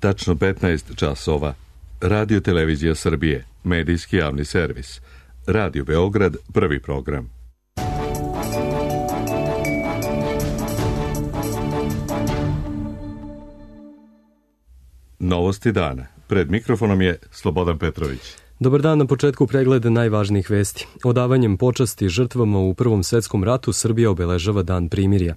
Tačno 15 časova. Radio Televizija Srbije, medijski javni servis. Radio Beograd, prvi program. Novosti dana. Pred mikrofonom je Slobodan Petrović. Dobar dan, na početku pregleda najvažnijih vesti. Odavanjem počasti žrtvama u Prvom svetskom ratu Srbija obeležava Dan primirja.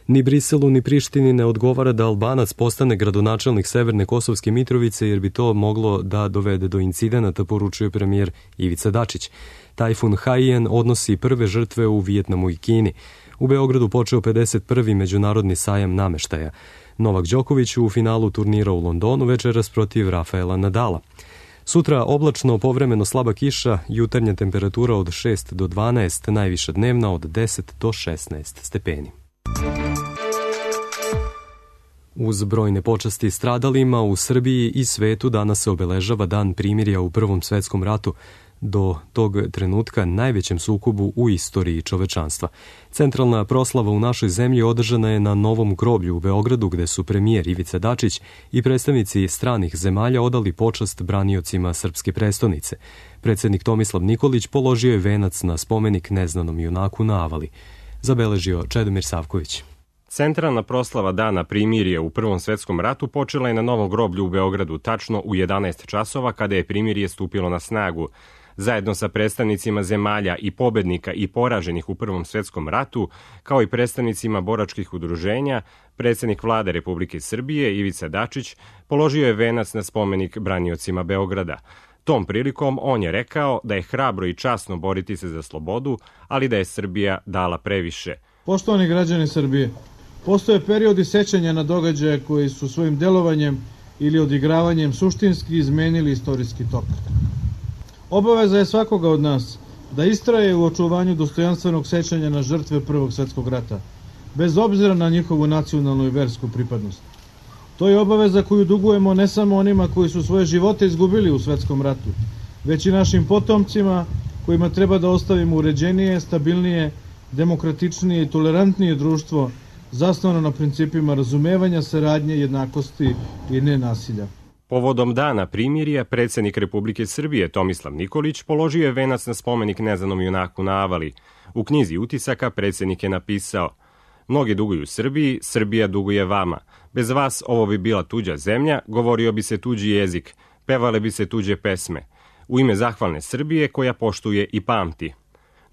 Ni Briselu ni Prištini ne odgovara da Albanac postane gradonačelnik Severne Kosovske Mitrovice, jer bi to moglo da dovede do incidenata, poručuje premijer Ivica Dačić. Tajfun Haiyan odnosi prve žrtve u Vijetnamu i Kini. U Beogradu počeo 51. međunarodni sajam nameštaja. Novak Đoković u finalu turnira u Londonu večeras protiv Rafaela Nadala. Sutra oblačno, povremeno slaba kiša, jutarnja temperatura od 6 do 12, najviša dnevna od 10 do 16 stepeni. Uz brojne počasti stradalima u Srbiji i svetu danas se obeležava Dan primirja u Prvom svetskom ratu, do tog trenutka najvećem sukobu u istoriji čovečanstva. Centralna proslava u našoj zemlji održana je na Novom groblju u Beogradu, gde su premijer Ivica Dačić i predstavnici stranih zemalja odali počast braniocima srpske prestonice. Predsednik Tomislav Nikolić položio je venac na spomenik neznanom junaku na Avali. Zabeležio Čedomir Savković. Centralna proslava Dana primirja u Prvom svetskom ratu počela je na Novom groblju u Beogradu tačno u 11 časova kada je primirje stupilo na snagu. Zajedno sa predstavnicima zemalja i pobednika i poraženih u Prvom svetskom ratu, kao i predstavnicima boračkih udruženja, predsednik vlade Republike Srbije Ivica Dačić položio je venac na spomenik braniocima Beograda. Tom prilikom on je rekao da je hrabro i časno boriti se za slobodu, ali da je Srbija dala previše. Poštovani građani Srbije, postoje periodi sećanja na događaje koji su svojim delovanjem ili odigravanjem suštinski izmenili istorijski tok. Obaveza je svakoga od nas da istraje u očuvanju dostojanstvenog sećanja na žrtve Prvog svjetskog rata, bez obzira na njihovu nacionalnu i versku pripadnost. To je obaveza koju dugujemo ne samo onima koji su svoje živote izgubili u svetskom ratu, već i našim potomcima kojima treba da ostavimo uređenije, stabilnije, demokratičnije i tolerantnije društvo zasnovano na principima razumevanja, saradnje, jednakosti i nenasilja. Povodom Dana primirja, predsednik Republike Srbije Tomislav Nikolić položio je venac na spomenik neznanom junaku na Avali. U knjizi utisaka predsednik je napisao: "Mnogi duguju Srbiji, Srbija duguje vama. Bez vas ovo bi bila tuđa zemlja, govorio bi se tuđi jezik, pevale bi se tuđe pesme. U ime zahvalne Srbije koja poštuje i pamti."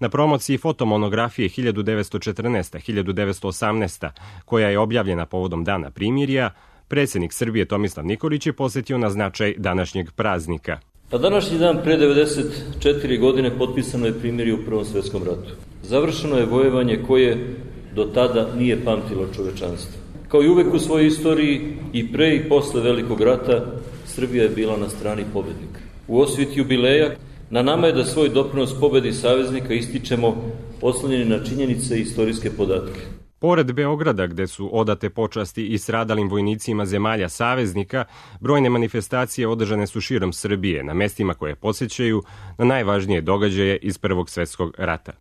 Na promociji fotomonografije 1914-1918, koja je objavljena povodom Dana primirja, predsednik Srbije Tomislav Nikolić je posjetio na značaj današnjeg praznika. Na današnji dan pre 94 godine potpisano je primirje u Prvom svetskom ratu. Završeno je vojevanje koje do tada nije pamtilo čovečanstvo. Kao i uvek u svojoj istoriji, i pre i posle Velikog rata, Srbija je bila na strani pobednika. U osvit jubileja na nama je da svoj doprinos pobedi saveznika ističemo oslonjeni na činjenice i istorijske podatke. Pored Beograda, gde su odate počasti i stradalim vojnicima zemalja saveznika, brojne manifestacije održane su širom Srbije, na mestima koje podsjećaju na najvažnije događaje iz Prvog svjetskog rata.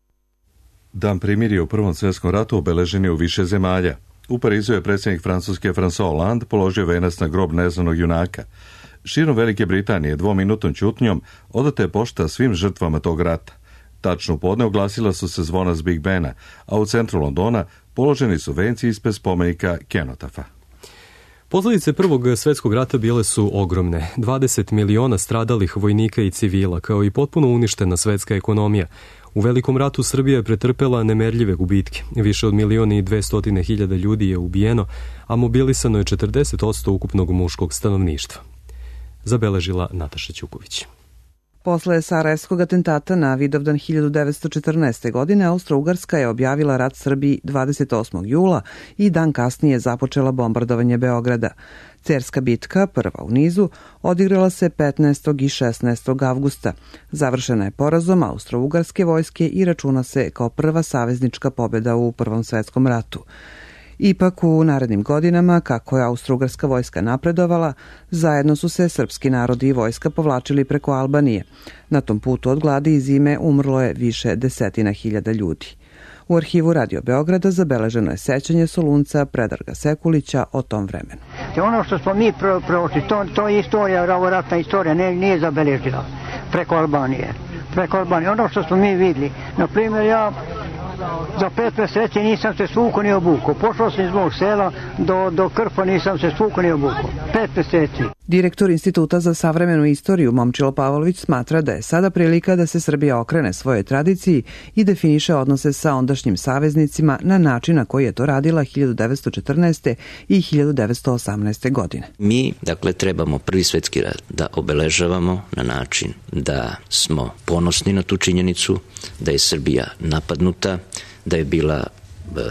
Dan primirja u Prvom svjetskom ratu obeležen je u više zemalja. U Parizu je predsjednik Francuske François Hollande položio venac na grob neznanog junaka. Širom Velike Britanije dvominutnom ćutnjom odata je pošta svim žrtvama tog rata. Tačno u podne oglasila su se zvona s Big Bena, a u centru Londona položeni su venci ispred spomenika Kenotafa. Posljedice Prvog svjetskog rata bile su ogromne. 20 miliona stradalih vojnika i civila, kao i potpuno uništena svetska ekonomija. U Velikom ratu Srbija je pretrpela nemerljive gubitke. Više od 1.200.000 ljudi je ubijeno, a mobilisano je 40% ukupnog muškog stanovništva. Zabeležila Nataša Ćuković. Posle sarajevskog atentata na Vidovdan 1914. godine Austro-Ugarska je objavila rat Srbiji 28. jula i dan kasnije započela bombardovanje Beograda. Cerska bitka, prva u nizu, odigrala se 15. i 16. avgusta. Završena je porazom Austro-Ugarske vojske i računa se kao prva saveznička pobjeda u Prvom svetskom ratu. Ipak u narednim godinama, kako je Austro-Ugarska vojska napredovala, zajedno su se srpski narodi i vojska povlačili preko Albanije. Na tom putu od gladi i zime umrlo je više desetina hiljada ljudi. U arhivu Radio Beograda zabeleženo je sećanje Solunca Predraga Sekulića o tom vremenu. Ono što smo mi prošli, to je istorija, ratna istorija, nije zabeležila preko Albanije. Ono što smo mi vidjeli, na primjer ja za 5 meseci nisam se svukao ni obukao. Pošao sam iz mog sela do Krfa, nisam se svukao ni obukao. 5 meseci. Direktor Instituta za savremenu istoriju Momčilo Pavlović smatra da je sada prilika da se Srbija okrene svojoj tradiciji i definiše odnose sa ondašnjim saveznicima na način na koji je to radila 1914. i 1918. godine. Mi, trebamo Prvi svetski rat da obeležavamo na način da smo ponosni na tu činjenicu, da je Srbija napadnuta, da je bila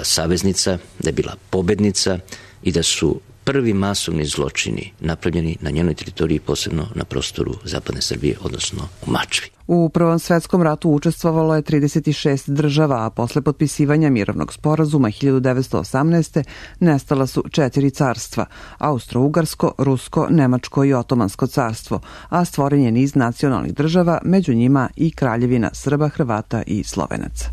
saveznica, da je bila pobednica i da su prvi masovni zločini napravljeni na njenoj teritoriji, posebno na prostoru zapadne Srbije, odnosno u Mačvi. U Prvom svetskom ratu učestvovalo je 36 država, a posle potpisivanja mirovnog sporazuma 1918. nestala su 4 carstva: Austro-Ugarsko, Rusko, Nemačko i Otomansko carstvo, a stvoren je niz nacionalnih država, među njima i Kraljevina Srba, Hrvata i Slovenaca.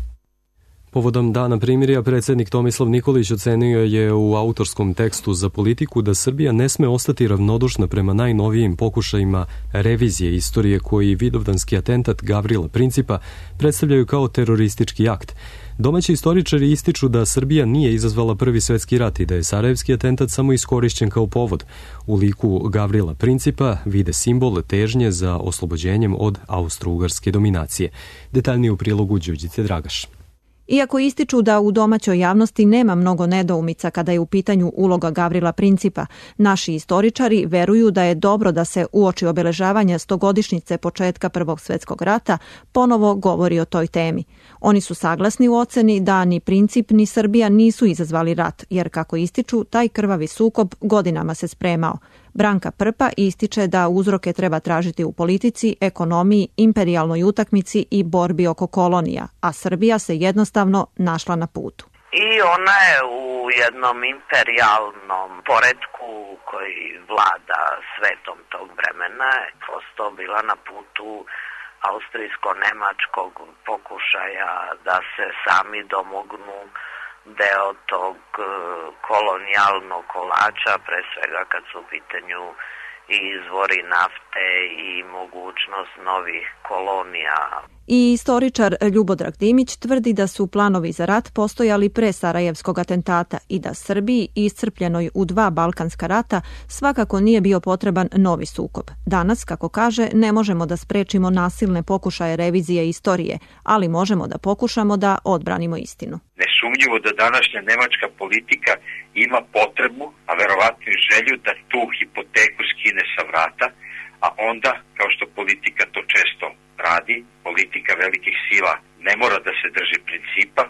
Povodom Dana primirja, predsjednik Tomislav Nikolić ocenio je u autorskom tekstu za Politiku da Srbija ne sme ostati ravnodušna prema najnovijim pokušajima revizije istorije koji vidovdanski atentat Gavrila Principa predstavljaju kao teroristički akt. Domaći istoričari ističu da Srbija nije izazvala Prvi svetski rat i da je sarajevski atentat samo iskorišćen kao povod. U liku Gavrila Principa vide simbol težnje za oslobođenjem od austro-ugarske dominacije. Detaljnije u prilogu Đurđice Dragaš. Iako ističu da u domaćoj javnosti nema mnogo nedoumica kada je u pitanju uloga Gavrila Principa, naši istoričari veruju da je dobro da se uoči obeležavanja 100-godišnjice početka Prvog svjetskog rata ponovo govori o toj temi. Oni su saglasni u oceni da ni Princip ni Srbija nisu izazvali rat, jer kako ističu, taj krvavi sukob godinama se spremao. Branka Prpa ističe da uzroke treba tražiti u politici, ekonomiji, imperijalnoj utakmici i borbi oko kolonija, a Srbija se jednostavno našla na putu. I ona je u jednom imperijalnom poretku koji vlada svetom tog vremena prosto bila na putu austrijsko-nemačkog pokušaja da se sami domognu deo tog kolonijalnog kolača, pre svega kad su u pitanju i izvori nafte i mogućnost novih kolonija. I istoričar Ljubodrag Dimić tvrdi da su planovi za rat postojali pre Sarajevskog atentata i da Srbiji, iscrpljenoj u 2 balkanska rata, svakako nije bio potreban novi sukob. Danas, kako kaže, ne možemo da sprečimo nasilne pokušaje revizije istorije, ali možemo da pokušamo da odbranimo istinu. Nesumnjivo da današnja nemačka politika ima potrebu, a verovatno i želju da tu hipoteku skine sa vrata, a onda, kao što politika to često radi, politika velikih sila ne mora da se drži principa,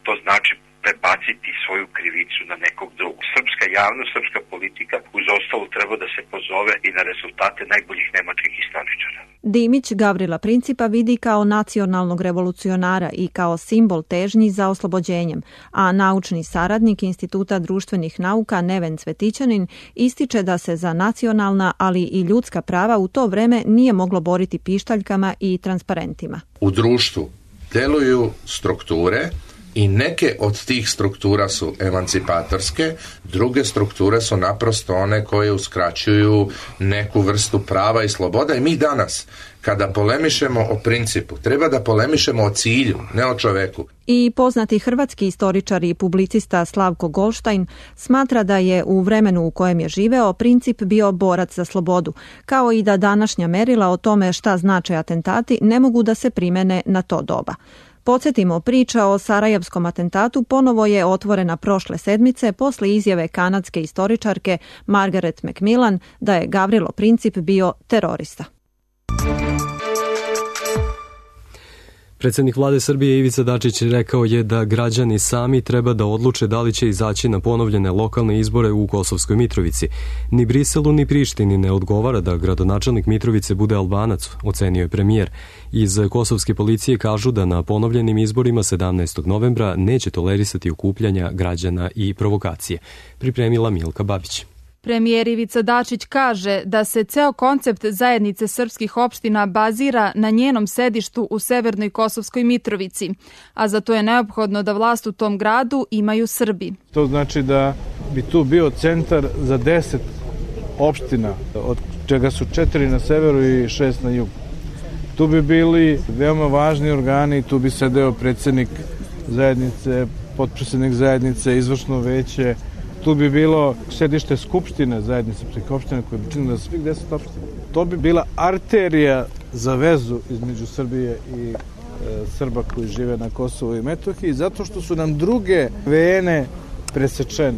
to znači prebaciti svoju krivicu na nekog drugog. Srpska javnost, srpska politika uz ostalo treba da se pozove i na rezultate najboljih nemačkih istoričara. Dimić Gavrila Principa vidi kao nacionalnog revolucionara i kao simbol težnji za oslobođenjem, a naučni saradnik Instituta društvenih nauka Neven Cvetićanin ističe da se za nacionalna, ali i ljudska prava u to vreme nije moglo boriti pištaljkama i transparentima. U društvu deluju strukture i neke od tih struktura su emancipatorske, druge strukture su naprosto one koje uskraćuju neku vrstu prava i sloboda i mi danas, kada polemišemo o principu, treba da polemišemo o cilju, ne o čoveku. I poznati hrvatski istoričar i publicista Slavko Golštajn smatra da je u vremenu u kojem je živeo Princip bio borac za slobodu, kao i da današnja merila o tome šta znače atentati ne mogu da se primene na to doba. Podsjetimo, priča o sarajevskom atentatu ponovo je otvorena prošle sedmice posle izjave kanadske istoričarke Margaret Macmillan da je Gavrilo Princip bio terorista. Predsjednik vlade Srbije Ivica Dačić rekao je da građani sami treba da odluče da li će izaći na ponovljene lokalne izbore u Kosovskoj Mitrovici. Ni Briselu ni Prištini ne odgovara da gradonačelnik Mitrovice bude Albanac, ocenio je premijer. Iz kosovske policije kažu da na ponovljenim izborima 17. novembra neće tolerisati okupljanja građana i provokacije. Pripremila Milka Babić. Premijer Ivica Dačić kaže da se ceo koncept zajednice srpskih opština bazira na njenom sedištu u severnoj Kosovskoj Mitrovici, a za to je neophodno da vlast u tom gradu imaju Srbi. To znači da bi tu bio centar za 10 opština, od čega su 4 na severu i 6 na jugu. Tu bi bili veoma važni organi, tu bi sedeo predsjednik zajednice, potpredsjednik zajednice, izvršno veće. Tu bi bilo sedište skupštine zajednice srpskih opština koje bi činilo svih 10 opština. To bi bila arterija za vezu između Srbije i Srba koji žive na Kosovu i Metohiji, zato što su nam druge vene presečene.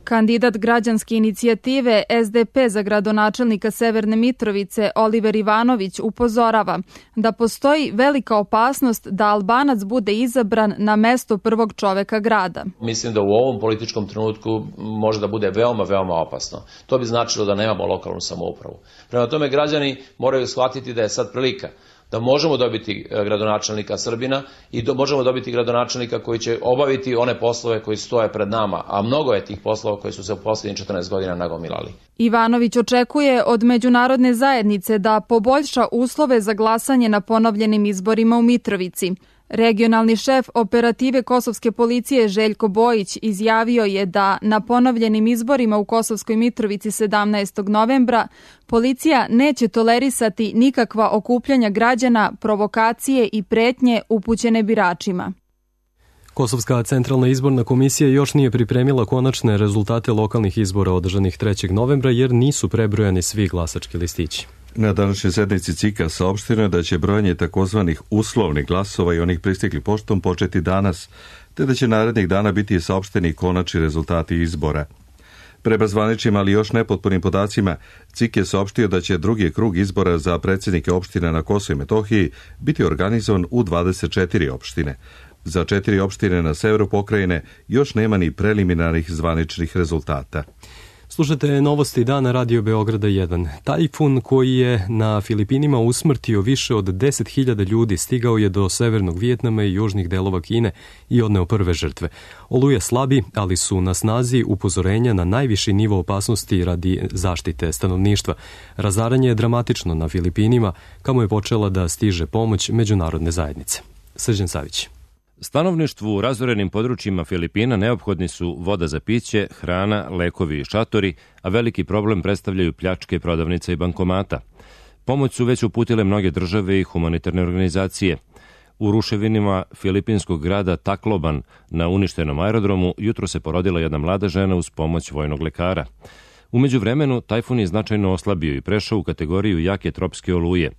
Kandidat građanske inicijative SDP za gradonačelnika Severne Mitrovice Oliver Ivanović upozorava da postoji velika opasnost da Albanac bude izabran na mesto prvog čoveka grada. Mislim da u ovom političkom trenutku može da bude veoma, veoma opasno. To bi značilo da nemamo lokalnu samoupravu. Prema tome građani moraju shvatiti da je sad prilika da možemo dobiti gradonačelnika Srbina i možemo dobiti gradonačelnika koji će obaviti one poslove koji stoje pred nama, a mnogo je tih poslova koji su se u posljednjih 14 godina nagomilali. Ivanović očekuje od međunarodne zajednice da poboljša uslove za glasanje na ponovljenim izborima u Mitrovici. Regionalni šef operative kosovske policije Željko Bojić izjavio je da na ponovljenim izborima u Kosovskoj Mitrovici 17. novembra policija neće tolerisati nikakva okupljanja građana, provokacije i pretnje upućene biračima. Kosovska centralna izborna komisija još nije pripremila konačne rezultate lokalnih izbora održanih 3. novembra jer nisu prebrojani svi glasački listići. Na današnjoj sednici CIK-a saopšteno je da će brojanje takozvanih uslovnih glasova i onih pristiglih poštom početi danas, te da će narednih dana biti saopšteni konačni rezultati izbora. Prema zvaničnim, ali još nepotpunim podacima, CIK je saopštio da će drugi krug izbora za predsjednike opština na Kosovu i Metohiji biti organizovan u 24 opštine. Za 4 opštine na severu pokrajine još nema ni preliminarnih zvaničnih rezultata. Slušajte novosti dana Radio Beograda 1. Tajfun koji je na Filipinima usmrtio više od 10.000 ljudi stigao je do severnog Vijetnama i južnih delova Kine i odneo prve žrtve. Oluja slabi, ali su na snazi upozorenja na najviši nivo opasnosti radi zaštite stanovništva. Razaranje je dramatično na Filipinima, kamo je počela da stiže pomoć međunarodne zajednice. Srđan Savić. Stanovništvu u razorenim područjima Filipina neophodni su voda za piće, hrana, lekovi i šatori, a veliki problem predstavljaju pljačke prodavnica i bankomata. Pomoć su već uputile mnoge države i humanitarne organizacije. U ruševinima filipinskog grada Tacloban na uništenom aerodromu jutro se porodila jedna mlada žena uz pomoć vojnog lekara. U međuvremenu tajfun je značajno oslabio i prešao u kategoriju jake tropske oluje.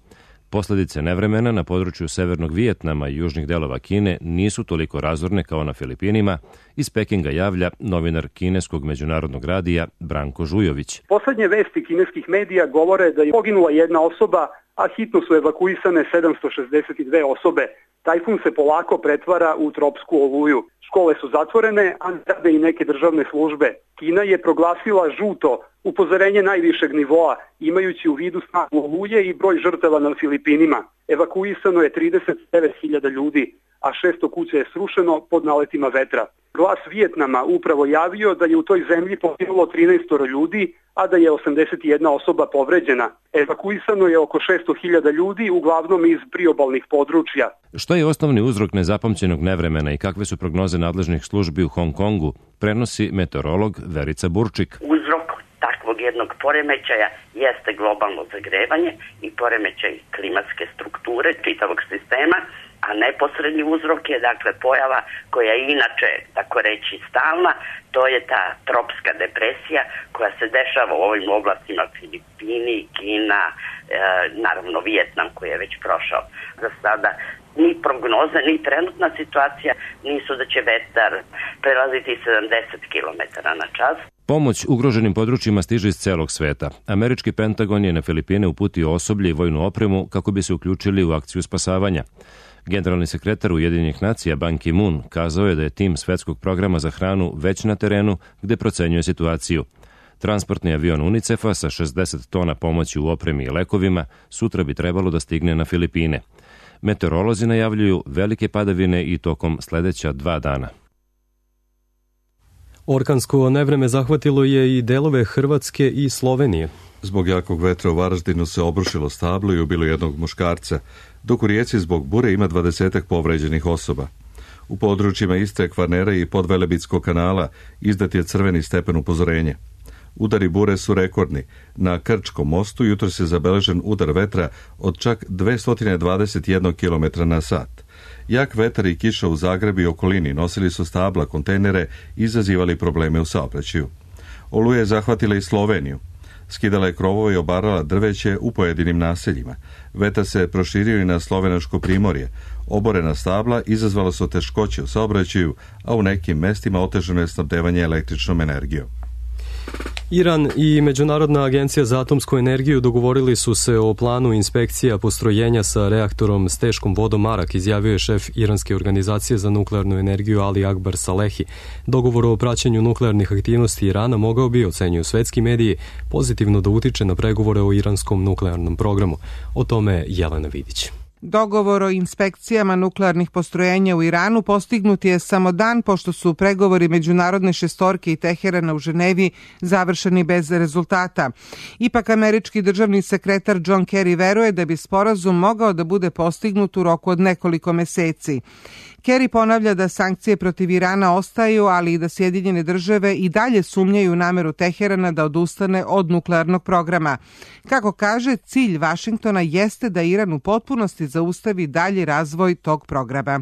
Posledice nevremena na području severnog Vijetnama i južnih delova Kine nisu toliko razorne kao na Filipinima. Iz Pekinga javlja novinar kineskog međunarodnog radija Branko Žujović. Poslednje vesti kineskih medija govore da je poginula jedna osoba, a hitno su evakuisane 762 osobe. Tajfun se polako pretvara u tropsku oluju. Škole su zatvorene, a rade i neke državne službe. Kina je proglasila žuto upozorenje najvišeg nivoa, imajući u vidu snagu oluje i broj žrtava na Filipinima. Evakuisano je 39.000 ljudi, a 600 kuća je srušeno pod naletima vetra. Glas Vijetnama upravo javio da je u toj zemlji poginulo 13 ljudi, a da je 81 osoba povređena. Evakuisano je oko 600.000 ljudi, uglavnom iz priobalnih područja. Što je osnovni uzrok nezapamćenog nevremena i kakve su prognoze nadležnih službi u Hong Kongu, prenosi meteorolog Verica Burčik. Uzrok takvog jednog poremećaja jeste globalno zagrevanje i poremećaj klimatske strukture čitavog sistema, a neposredni uzrok je dakle pojava koja je inače, tako reći, stalna, to je ta tropska depresija koja se dešava u ovim oblastima Filipini, Kina, naravno Vijetnam koji je već prošao. Za sada ni prognoza, ni trenutna situacija nisu da će vetar prelaziti 70 km na čas. Pomoć ugroženim područjima stiže iz celog sveta. Američki Pentagon je na Filipine uputio osoblje i vojnu opremu kako bi se uključili u akciju spasavanja. Generalni sekretar Ujedinjenih nacija Ban Ki-moon kazao je da je tim svetskog programa za hranu već na terenu gde procenjuje situaciju. Transportni avion UNICEF-a sa 60 tona pomoći u opremi i lekovima sutra bi trebalo da stigne na Filipine. Meteorolozi najavljuju velike padavine i tokom sledeća 2 dana. Orkansko nevreme zahvatilo je i delove Hrvatske i Slovenije. Zbog jakog vetra u Varaždinu se obrušilo stablo i ubilo jednog muškarca, dok u Rijeci zbog bure ima 20 povređenih osoba. U područjima Istre, Kvarnera i Podvelebitskog kanala izdat je crveni stepen upozorenja. Udari bure su rekordni. Na Krčkom mostu jutros je zabeležen udar vetra od čak 221 km na sat. Jak vetar i kiša u Zagrebu i okolini nosili su stabla, kontejnere i izazivali probleme u saobraćaju. Oluja je zahvatila i Sloveniju. Skidala je krovove i obarala drveće u pojedinim naseljima. Vetar se proširio i na slovenačko primorje. Oborena stabla izazvala su teškoće u saobraćaju, a u nekim mestima otežano je snabdevanje električnom energijom. Iran i Međunarodna agencija za atomsku energiju dogovorili su se o planu inspekcija postrojenja sa reaktorom s teškom vodom Arak, izjavio je šef Iranske organizacije za nuklearnu energiju Ali Akbar Salehi. Dogovor o praćenju nuklearnih aktivnosti Irana mogao bi, ocenjuju svetski mediji, pozitivno da utiče na pregovore o iranskom nuklearnom programu. O tome Jelena Vidić. Dogovor o inspekcijama nuklearnih postrojenja u Iranu postignut je samo dan pošto su pregovori međunarodne šestorke i Teherana u Ženevi završeni bez rezultata. Ipak američki državni sekretar John Kerry veruje da bi sporazum mogao da bude postignut u roku od nekoliko meseci. Kerry ponavlja da sankcije protiv Irana ostaju, ali i da Sjedinjene države i dalje sumnjaju nameru Teherana da odustane od nuklearnog programa. Kako kaže, cilj Vašingtona jeste da Iran u potpunosti zaustavi dalji razvoj tog programa.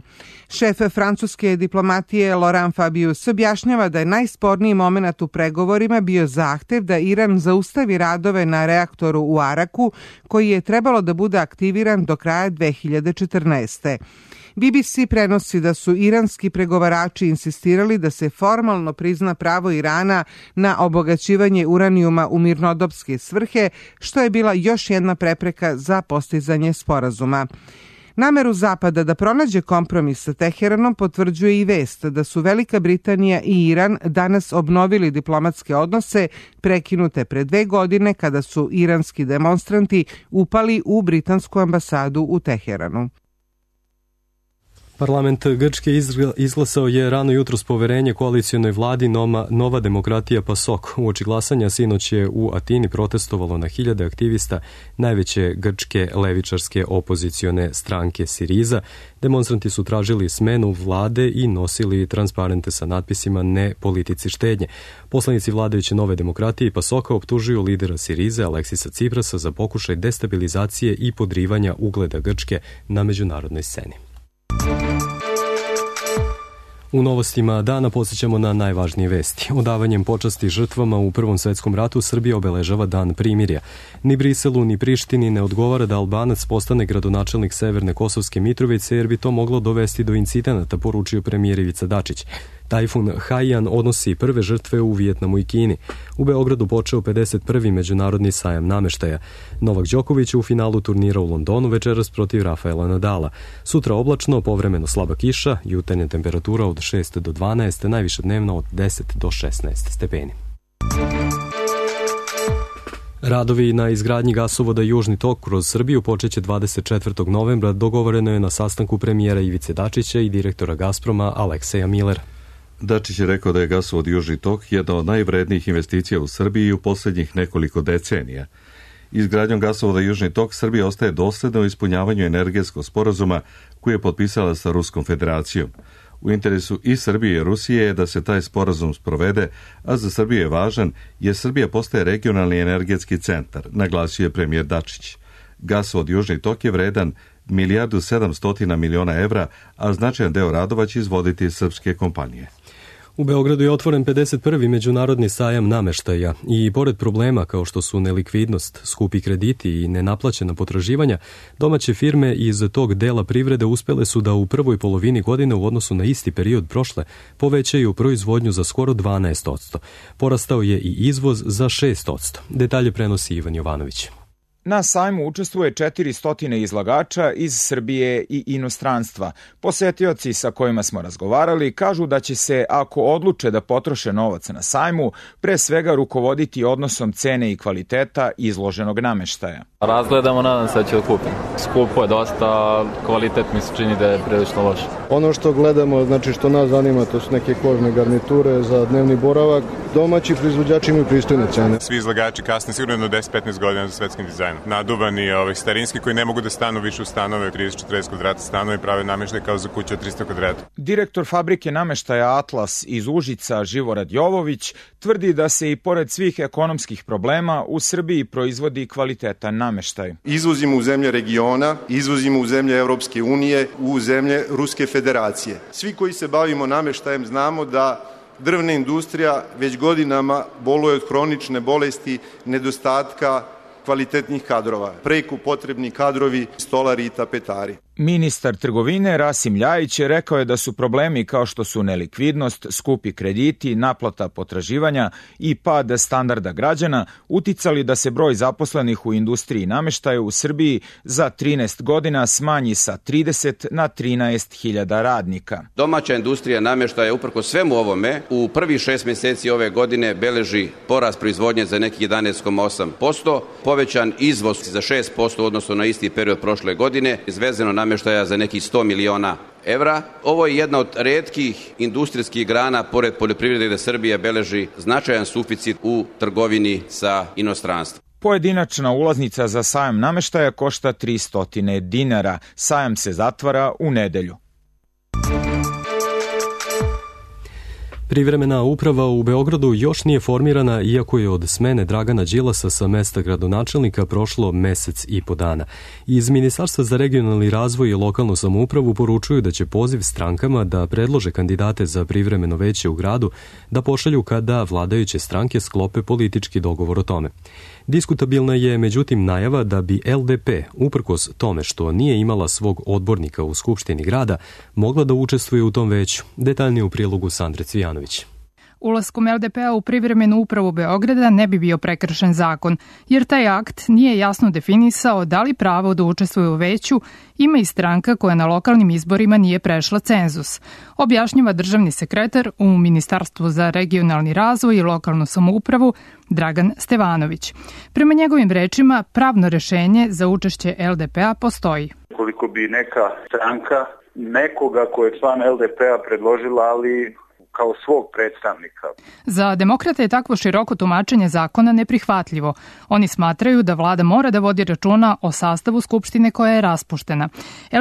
Šef francuske diplomatije Laurent Fabius objašnjava da je najsporniji moment u pregovorima bio zahtev da Iran zaustavi radove na reaktoru u Araku, koji je trebalo da bude aktiviran do kraja 2014. BBC prenosi da su iranski pregovarači insistirali da se formalno prizna pravo Irana na obogaćivanje uranijuma u mirnodopske svrhe, što je bila još jedna prepreka za postizanje sporazuma. Nameru Zapada da pronađe kompromis sa Teheranom potvrđuje i vest da su Velika Britanija i Iran danas obnovili diplomatske odnose prekinute pre 2 godine kada su iranski demonstranti upali u britansku ambasadu u Teheranu. Parlament Grčke izglasao je rano jutros poverenje koalicionoj vladi Nova demokratija PASOK. Uoči glasanja sinoć je u Atini protestovalo na hiljade aktivista najveće grčke levičarske opozicione stranke Siriza. Demonstranti su tražili smenu vlade i nosili transparente sa natpisima ne politici štednje. Poslanici vladajuće Nove demokratije i PASOK-a optužuju lidera Sirize Aleksisa Ciprasa za pokušaj destabilizacije i podrivanja ugleda Grčke na međunarodnoj sceni. U novostima dana podsjećamo na najvažnije vesti. Odavanjem počasti žrtvama u Prvom svetskom ratu Srbija obeležava dan primirja. Ni Briselu ni Prištini ne odgovara da Albanac postane gradonačelnik Severne Kosovske Mitrovice jer bi to moglo dovesti do incidenata, poručio premijer Ivica Dačić. Tajfun Haiyan odnosi prve žrtve u Vijetnamu i Kini. U Beogradu počeo 51. međunarodni sajam nameštaja. Novak Đoković u finalu turnira u Londonu večeras protiv Rafaela Nadala. Sutra oblačno, povremeno slaba kiša, jutarnja temperatura od 6 do 12, najviše dnevno od 10 do 16 stepeni. Radovi na izgradnji gasovoda Južni tok kroz Srbiju počeće 24. novembra, dogovoreno je na sastanku premijera Ivice Dačića i direktora Gazproma Alekseja Millera. Dačić je rekao da je gasovod Južni tok jedna od najvrednijih investicija u Srbiji u posljednjih nekoliko decenija. Izgradnjom gasovoda Južni tok Srbija ostaje dosledna u ispunjavanju energetskog sporazuma koji je potpisala sa Ruskom federacijom. U interesu i Srbije i Rusije je da se taj sporazum sprovede, a za Srbiju je važan jer Srbija postaje regionalni energetski centar, naglasio je premijer Dačić. Gasovod Južni tok je vredan 1.700.000.000 evra, a značajan deo radova će izvoditi srpske kompanije. U Beogradu je otvoren 51. međunarodni sajam nameštaja i pored problema kao što su nelikvidnost, skupi krediti i nenaplaćena potraživanja, domaće firme iz tog dela privrede uspele su da u prvoj polovini godine u odnosu na isti period prošle povećaju proizvodnju za skoro 12%. Porastao je i izvoz za 6%. Detalje prenosi Ivan Jovanović. Na sajmu učestvuje 400 izlagača iz Srbije i inostranstva. Posetioci sa kojima smo razgovarali kažu da će se, ako odluče da potroše novac na sajmu, pre svega rukovoditi odnosom cene i kvaliteta izloženog nameštaja. Razgledamo, nadam se da će da kupim. Skupo je dosta, kvalitet mi se čini da je prilično loš. Ono što gledamo, znači što nas zanima, to su neke kožne garniture za dnevni boravak. Domaći proizvođači imaju pristojne cene. Svi izlagači kasne sigurno 10-15 godina za svetskim dizajnom. Naduvani starinski koji ne mogu da stanu više u stanove, 30-40 kvadrata stanove i prave nameštaj kao za kuću od 300 kvadrata. Direktor fabrike nameštaja Atlas iz Užica, Živorad Jovović, tvrdi da se i pored svih ekonomskih problema u Srbiji proizvodi kvalitetan nameštaj. Izvozimo u zemlje regiona, izvozimo u zemlje Evropske unije, u zemlje Ruske federacije. Svi koji se bavimo nameštajem znamo da drvna industrija već godinama boluje od hronične bolesti, nedostatka kvalitetnih kadrova, preko potrebni kadrovi, stolari i tapetari. Ministar trgovine Rasim Ljajić rekao je da su problemi kao što su nelikvidnost, skupi krediti, naplata potraživanja i pad standarda građana uticali da se broj zaposlenih u industriji nameštaja u Srbiji za 13 godina smanji sa 30 na 13.000 radnika. Domaća industrija nameštaja uprkos svemu ovome u prvih 6 meseci ove godine beleži porast proizvodnje za nekih 11,8%, povećan izvoz za 6% odnosno na isti period prošle godine, izvezeno nameštaja za nekih 100 miliona evra. Ovo je jedna od retkih industrijskih grana, pored poljoprivrede, da Srbija beleži značajan suficit u trgovini sa inostranstvom. Pojedinačna ulaznica za sajam nameštaja košta 300 dinara. Sajam se zatvara u nedelju. Privremena uprava u Beogradu još nije formirana, iako je od smene Dragana Đilasa sa mesta gradonačelnika prošlo mesec i po dana. Iz Ministarstva za regionalni razvoj i lokalnu samoupravu poručuju da će poziv strankama da predlože kandidate za privremeno veće u gradu da pošalju kada vladajuće stranke sklope politički dogovor o tome. Diskutabilna je međutim najava da bi LDP, uprkos tome što nije imala svog odbornika u Skupštini grada, mogla da učestvuje u tom veću. Detaljnije u prilogu Sandre Cvijanović. Ulaskom LDP-a u privremenu upravu Beograda ne bi bio prekršen zakon, jer taj akt nije jasno definisao da li pravo da učestvuje u veću ima i stranka koja na lokalnim izborima nije prešla cenzus, objašnjava državni sekretar u Ministarstvu za regionalni razvoj i lokalnu samoupravu Dragan Stevanović. Prema njegovim rečima, pravno rešenje za učešće LDP-a postoji. Koliko bi neka stranka nekoga ko je član LDP-a predložila, ali kao svog predstavnika. Za demokrate je takvo široko tumačenje zakona neprihvatljivo. Oni smatraju da vlada mora da vodi računa o sastavu Skupštine koja je raspuštena.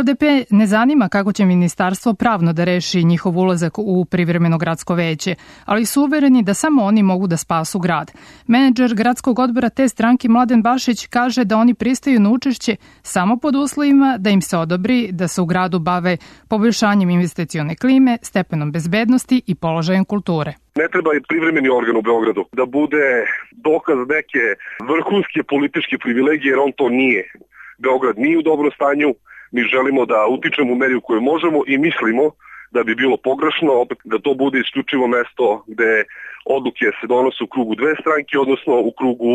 LDP ne zanima kako će ministarstvo pravno da reši njihov ulazak u privremeno gradsko veće, ali su uvereni da samo oni mogu da spasu grad. Menadžer gradskog odbora te stranke Mladen Bašić kaže da oni pristaju na učešće samo pod uslovima da im se odobri da se u gradu bave poboljšanjem investicione klime, stepenom bezbednosti i položajem kulture. Ne treba i privremeni organ u Beogradu da bude dokaz neke vrhunske političke privilegije, jer on to nije. Beograd nije u dobrom stanju, mi želimo da utičemo u meri u kojoj možemo i mislimo da bi bilo pogrešno opet da to bude isključivo mesto gde odluke se donose u krugu dve stranke, odnosno u krugu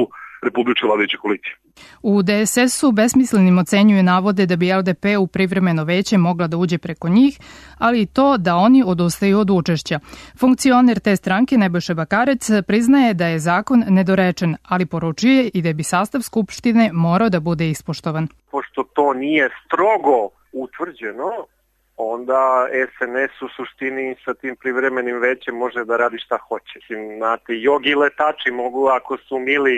republičke vladajuće koalicije. U DSS-u besmislenim ocenjuju navode da bi LDP u privremeno veće mogla da uđe preko njih, ali i to da oni odustaju od učešća. Funkcioner te stranke Nebojša Bakarec priznaje da je zakon nedorečen, ali poručuje i da bi sastav Skupštine morao da bude ispoštovan. Pošto to nije strogo utvrđeno, onda SNS u suštini sa tim privremenim većem može da radi šta hoće. Znate, jogi letači mogu, ako su mili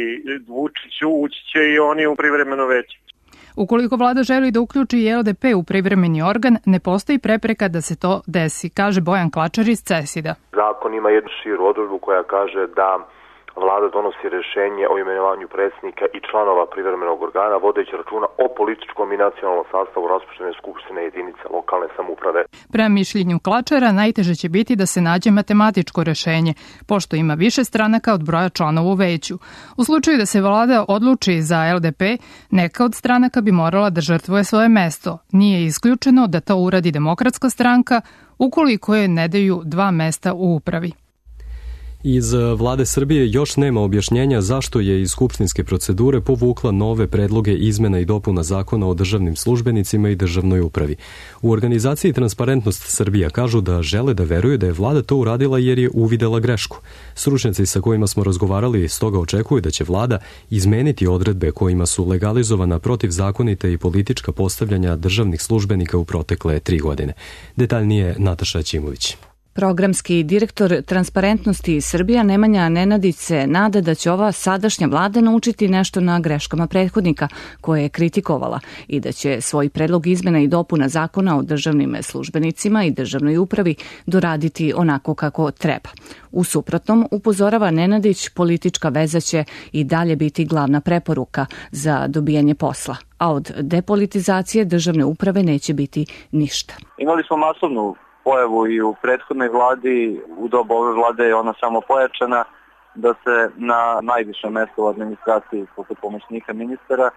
Vučiću, ući će i oni u privremeno veće. Ukoliko vlada želi da uključi i LDP u privremeni organ, ne postoji prepreka da se to desi, kaže Bojan Klačar iz CESID-a. Zakon ima jednu širu odredbu koja kaže da vlada donosi rešenje o imenovanju predsjednika i članova privremenog organa, vodeći računa o političkom i nacionalnom sastavu raspuštene skupštine jedinice lokalne samouprave. Prema mišljenju Klačara, najteže će biti da se nađe matematičko rešenje, pošto ima više stranaka od broja članova u veću. U slučaju da se vlada odluči za LDP, neka od stranaka bi morala da žrtvuje svoje mesto. Nije isključeno da to uradi Demokratska stranka, ukoliko je ne daju 2 mesta u upravi. Iz vlade Srbije još nema objašnjenja zašto je iz skupštinske procedure povukla nove predloge izmena i dopuna zakona o državnim službenicima i državnoj upravi. U organizaciji Transparentnost Srbija kažu da žele da veruju da je vlada to uradila jer je uvidela grešku. Stručnjaci sa kojima smo razgovarali stoga očekuju da će vlada izmeniti odredbe kojima su legalizovana protivzakonita i politička postavljanja državnih službenika u protekle 3 godine. Detaljnije Nataša Ćimović. Programski direktor Transparentnosti Srbija Nemanja Nenadić se nada da će ova sadašnja vlada naučiti nešto na greškama prethodnika koje je kritikovala i da će svoj predlog izmena i dopuna zakona o državnim službenicima i državnoj upravi doraditi onako kako treba. U suprotnom, upozorava Nenadić, politička veza će i dalje biti glavna preporuka za dobijanje posla, a od depolitizacije državne uprave neće biti ništa. Imali smo masovnu pojavu i u prethodnoj vladi, u dobu ove vlade je ona samo pojačana, da se na najviše mesto u administraciji, poput pomoćnika ministara,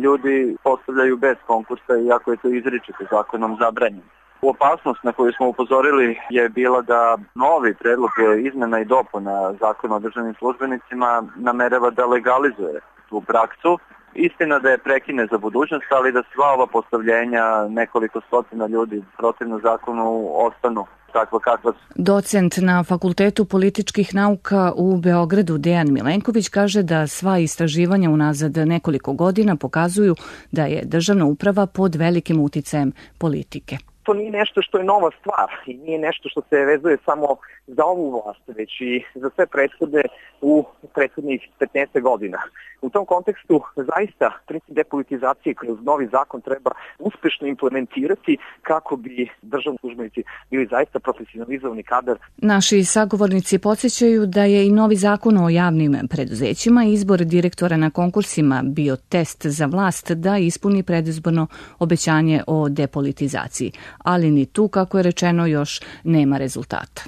ljudi postavljaju bez konkursa, iako je to izričito zakonom zabranjeno. Opasnost na koju smo upozorili je bila da novi predlog izmena i dopuna zakona o državnim službenicima namerava da legalizuje tu praksu. Istina da je prekine za budućnost, ali da sva ova postavljenja, nekoliko stotina ljudi protivno zakonu, ostanu takva kakva su. Docent na Fakultetu političkih nauka u Beogradu Dejan Milenković kaže da sva istraživanja unazad nekoliko godina pokazuju da je državna uprava pod velikim uticajem politike. To nije nešto što je nova stvar i nije nešto što se vezuje samo za ovu vlast, već i za sve prethode u prethodnih 15 godina. U tom kontekstu zaista princip depolitizacije kroz novi zakon treba uspešno implementirati kako bi državni službenici bili zaista profesionalizovani kadar. Naši sagovornici podsjećaju da je i novi zakon o javnim preduzećima i izbor direktora na konkursima bio test za vlast da ispuni predizborno obećanje o depolitizaciji, ali ni tu, kako je rečeno, još nema rezultata.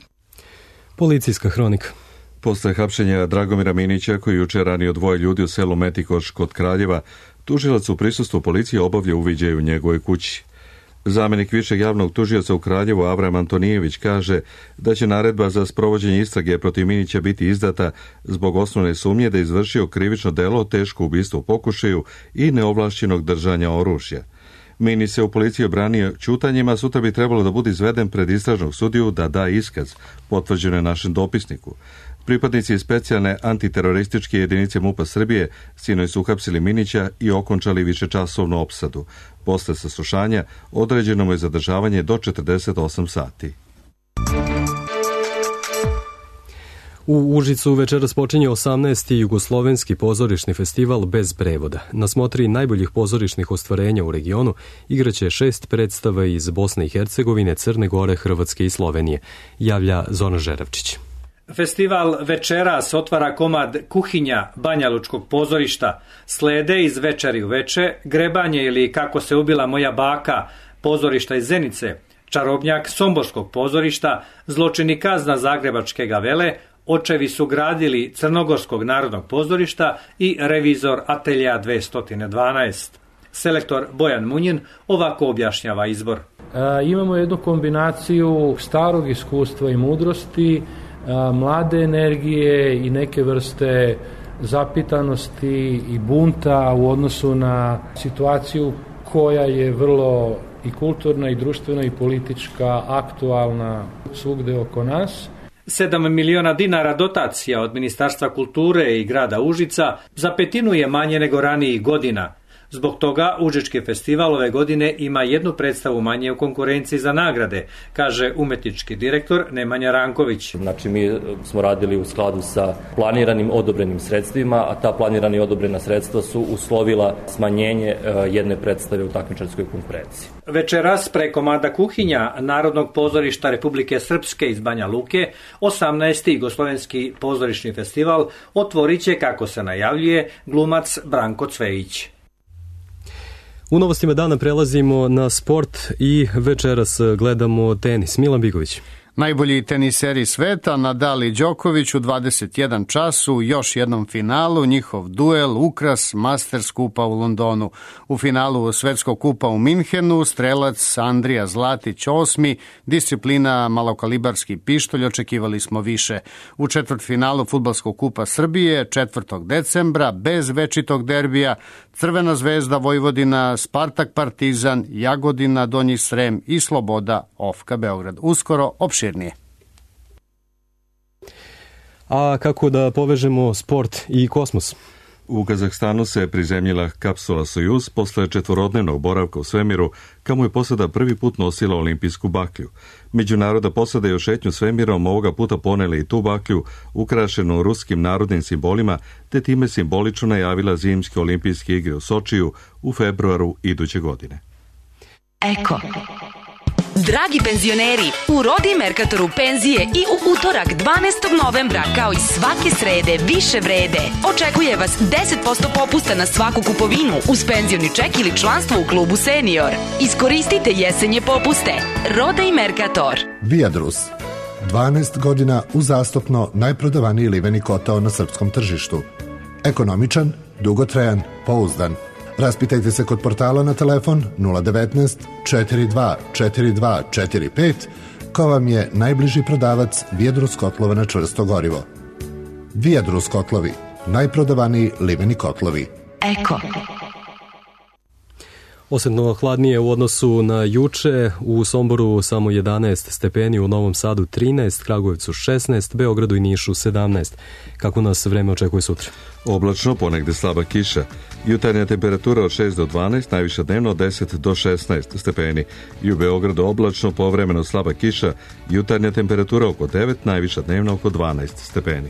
Policijska hronika. Posle hapšenja Dragomira Minića, koji juče ranio 2 ljudi u selu Metikoš kod Kraljeva, tužilac u prisustvu policije obavlja uviđaj u njegovoj kući. Zamenik višeg javnog tužioca u Kraljevu Avram Antonijević kaže da će naredba za sprovođenje istrage protiv Minića biti izdata zbog osnovne sumnje da je izvršio krivično delo, teško ubistvo u pokušaju i neovlašćenog držanja oružja. Minić se u policiji obranio ćutanjima, sutra bi trebalo da bude izveden pred istražnog sudiju da da iskaz, potvrđeno je našem dopisniku. Pripadnici specijalne antiterorističke jedinice MUP-a Srbije sinoć su uhapsili Minića i okončali višečasovnu opsadu. Posle saslušanja određeno mu je zadržavanje do 48 sati. U Užicu večeras počinje 18. jugoslovenski pozorišni festival bez prevoda. Na smotri najboljih pozorišnih ostvarenja u regionu igraće 6 predstava iz Bosne i Hercegovine, Crne Gore, Hrvatske i Slovenije, javlja Zoran Žeravčić. Festival večeras otvara komad Kuhinja Banjalučkog pozorišta, slede iz Večeri u veče, Grebanje ili Kako se ubila moja baka, pozorišta iz Zenice, Čarobnjak Somborskog pozorišta, Zločini kazna Zagrebačke gavele, Očevi su gradili Crnogorskog narodnog pozorišta i Revizor Atelja 212. Selektor Bojan Munjin ovako objašnjava izbor. Imamo jednu kombinaciju starog iskustva i mudrosti, mlade energije i neke vrste zapitanosti i bunta u odnosu na situaciju koja je vrlo i kulturna i društvena i politička aktualna svugde oko nas. 7 miliona dinara dotacija od Ministarstva kulture i grada Užica za petinu je manje nego ranijih godina. Zbog toga Užički festival ove godine ima 1 predstavu manje u konkurenciji za nagrade, kaže umetnički direktor Nemanja Ranković. Znači mi smo radili u skladu sa planiranim odobrenim sredstvima, a ta planirana i odobrena sredstva su uslovila smanjenje 1 predstave u takmičarskoj konkurenciji. Večeras preko komada Kuhinja Narodnog pozorišta Republike Srpske iz Banja Luke 18. jugoslovenski pozorišni festival otvorit će, kako se najavljuje, glumac Branko Cvejić. U novostima dana prelazimo na sport i večeras gledamo tenis. Milan Bigović. Najbolji teniseri sveta, Nadal i Đoković u 21 čas u još jednom finalu, njihov duel ukras Masters kupa u Londonu. U finalu Svetskog kupa u Minhenu strelac Andrija Zlatić 8. disciplina malokalibarski pištolj, očekivali smo više. U četvrtfinalu Fudbalskog kupa Srbije 4. decembra bez večitog derbija Crvena zvezda Vojvodina, Spartak Partizan, Jagodina Donji Srem i Sloboda Ofka Beograd. Uskoro opširnije. A kako da povežemo sport i kosmos? U Kazahstanu se prizemljila kapsula Sojuz posle četvorodnevnog boravka u svemiru, kamo je posada prvi put nosila olimpijsku baklju. Međunarodna posada je u šetnju svemirom ovoga puta poneli i tu baklju, ukrašenu ruskim narodnim simbolima, te time simbolično najavila zimske olimpijske igre u Sočiju u februaru iduće godine. Eko. Dragi penzioneri, u Rodi Merkatoru penzije i u utorak 12. novembra, kao i svake srede, više vrede. Očekuje vas 10% popusta na svaku kupovinu uz penzioni ček ili članstvo u klubu Senior. Iskoristite jesenje popuste. Roda i Merkator. Viadrus. 12 godina uzastopno najprodavaniji liveni kotao na srpskom tržištu. Ekonomičan, dugotrajan, pouzdan. Raspitajte se kod portala na telefon 019 42 42 45, ko vam je najbliži prodavac Viadrus kotlova na čvrsto gorivo. Viadrus kotlovi, najprodavaniji liveni kotlovi. Eko. Osjetno hladnije u odnosu na juče, u Somboru samo 11 stepeni, u Novom Sadu 13, Kragujevcu 16, Beogradu i Nišu 17. Kako nas vreme očekuje sutra? Oblačno, ponegde slaba kiša. Jutarnja temperatura od 6 do 12, najviša dnevno od 10 do 16 stepeni. I u Beogradu oblačno, povremeno slaba kiša, jutarnja temperatura oko 9, najviša dnevno oko 12 stepeni.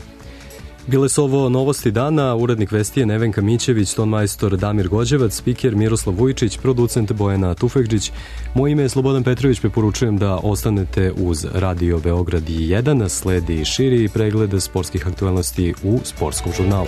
Bile su ovo novosti dana, urednik vesti je Nevenka Mićević, tonmajstor Damir Gođevac, spiker Miroslav Vujičić, producent Bojana Tufekđić. Moje ime je Slobodan Petrović, preporučujem da ostanete uz Radio Beograd 1, sledi širi pregled sportskih aktualnosti u Sportskom žurnalu.